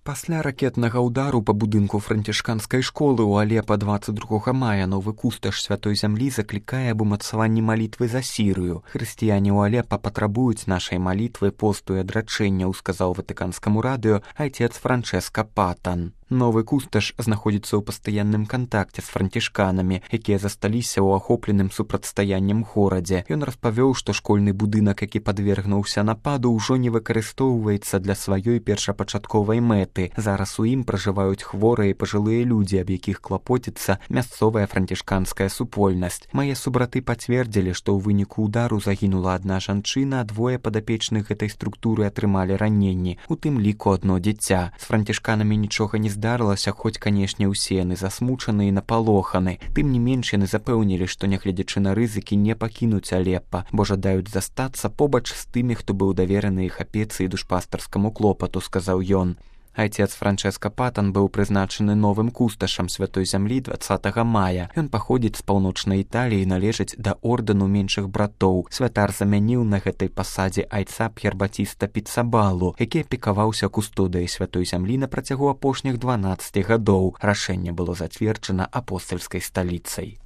Пасля ракетнага ўдару па будынку францішканскай школы ў Алепа 22 мая новы кусташ святой зямлі заклікае аб умацаванні малітвы за Сірыю. Хрысціяне ў Алепа патрабуюць нашай малітвы, посту і адрачэнняў, сказаў ватыканскаму радыё айцец Франчэска Патан. Новы кусташ знаходзіцца ў пастаянным кантакце з францішканамі, якія засталіся ў ахопленым супрацьстаяннем горадзе. Ён распавёў, што школьны будынак, які падвергнуўся нападу, ўжо не выкарыстоўваецца для сваёй першапачатковай мэты. Зараз у ім пражываюць хворыя і пажылыя людзі, аб якіх клапоціцца мясцовая францішканская супольнасць. Мае субраты пацвердзілі, што ў выніку ўдару загінула адна жанчына, а двое падапечных гэтай структуры атрымалі раненні, у тым ліку адно дзіця. З францішканамі нічога не здарылася, хоць, канешне, усе яны засмучаны і напалоханы. Тым не менш яны запэўнілі, што, нягледзячы на рызыкі, не пакінуць Алепа, бо жадаюць застацца побач з тымі, хто быў давераны іх апецы і душпастарскаму клопату, сказаў ён. Айцец Франчэска Патан быў прызначаны новым кусташам святой зямлі 20 мая. Ён паходзіць з паўночнай Італіі і належыць да ордэну меншых братоў. Святар замяніў на гэтай пасадзе айца П'ер-Батіста Піццабалу, які апекаваўся кустодыяй святой зямлі на працягу апошніх 12 гадоў. Рашэнне было зацверджана апостальскай сталіцай.